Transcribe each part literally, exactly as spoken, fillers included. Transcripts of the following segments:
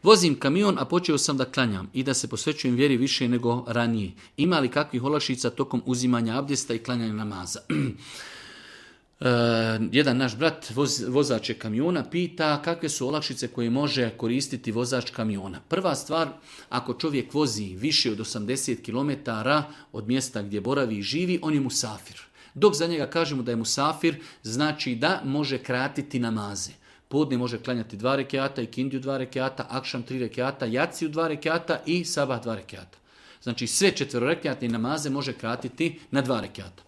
Vozim kamion, a počeo sam da klanjam i da se posvećujem vjeri više nego ranije. Ima li kakvih olakšica tokom uzimanja abdesta i klanjanja namaza? Uh, jedan naš brat, voz, vozač je kamiona, pita kakve su olakšice koje može koristiti vozač kamiona. Prva stvar, ako čovjek vozi više od osamdeset kilometara od mjesta gdje boravi i živi, on je musafir. Dok za njega kažemo da je musafir, znači da može kratiti namaze. Podne može klanjati dva rekiata, ikindiju dva rekiata, akšam tri rekiata, jaciju dva rekiata i sabah dva rekiata. Znači sve četverorekiatne namaze može kratiti na dva rekiata.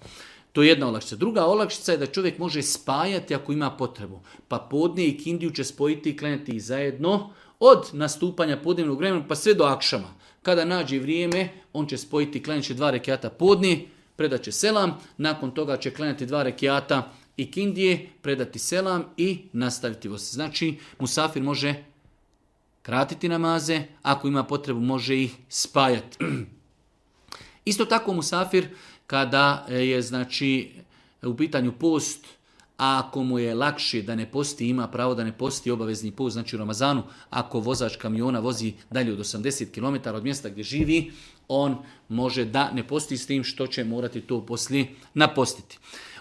To je jedna olakšica. Druga olakšica je da čovjek može spajati ako ima potrebu. Pa podne i kindiju će spojiti i klanjati ih zajedno od nastupanja podnevnog vremena pa sve do akšama. Kada nađe vrijeme, on će spojiti i klanjati dva rekiata podne, predat će selam, nakon toga će klanjati dva rekiata i kindije, predati selam i nastaviti voz. Znači, musafir može kratiti namaze, ako ima potrebu može ih spajati. Isto tako musafir kada je znači u pitanju post, a ako mu je lakše da ne posti, ima pravo da ne posti obavezni post, znači u Ramazanu, ako vozač kamiona vozi dalje od osamdeset kilometara od mjesta gdje živi, on može da ne posti s tim što će morati to poslije napostiti.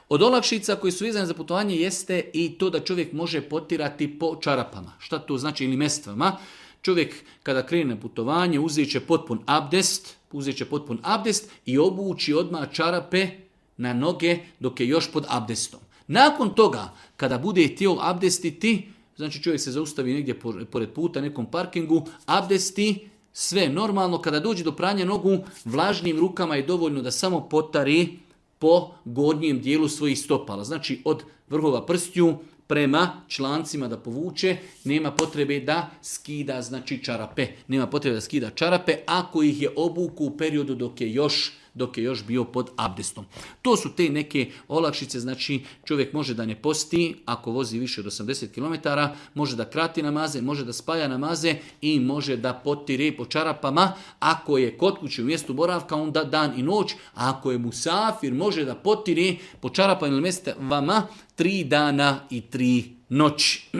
Od olakšica koji su vezane za putovanje jeste i to da čovjek može potirati po čarapama. Šta to znači ili mestvama? Čovjek kada krene na putovanje uzet će potpun abdest, uzet će potpun abdest i obući odmah čarape na noge dok je još pod abdestom. Nakon toga, kada bude htio abdestiti, znači čovjek se zaustavi negdje pored puta, nekom parkingu, abdesti, sve normalno. Kada dođe do pranja nogu, vlažnim rukama je dovoljno da samo potari po gornjem dijelu svojih stopala. Znači od vrhova prstiju prema člancima da povuče, nema potrebe da skida znači čarape. Nema potrebe da skida čarape ako ih je obuku u periodu dok je još dok je još bio pod abdestom. To su te neke olakšice, znači čovjek može da ne posti ako vozi više od osamdeset kilometara, može da krati namaze, može da spaja namaze i može da potire po čarapama. Ako je kod kuće u mjestu boravka, onda dan i noć, a ako je musafir, može da potire po čarapama ili mestvama tri dana i tri noći.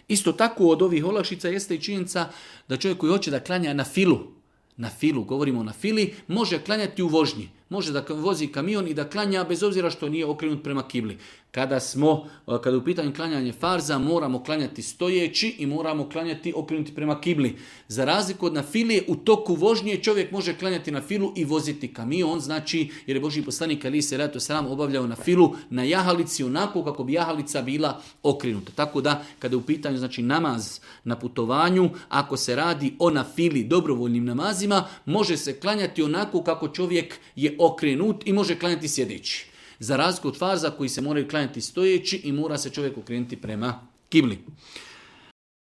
Isto tako od ovih olakšica jeste i činjenica da čovjek koji hoće da klanja na filu, na filu, govorimo na fili, može klanjati u vožnji. Može da vozi kamion i da klanja bez obzira što nije okrenut prema kibli. Kada smo, kada u pitanju klanjanje farza, moramo klanjati stojeći i moramo klanjati okrenuti prema kibli. Za razliku od na fili, u toku vožnje čovjek može klanjati na filu i voziti kamion, znači jer je Božji poslanik alejhi selatu vesselam obavljao na filu na jahalici onako kako bi jahalica bila okrenuta. Tako da kada je u pitanju znači namaz na putovanju, ako se radi o na fili dobrovoljnim namazima, može se klanjati onako kako čovjek je okrenut i može klanjati sjedeći. Za razliku od farza koji se moraju klanjati stojeći i mora se čovjek okrenuti prema kibli.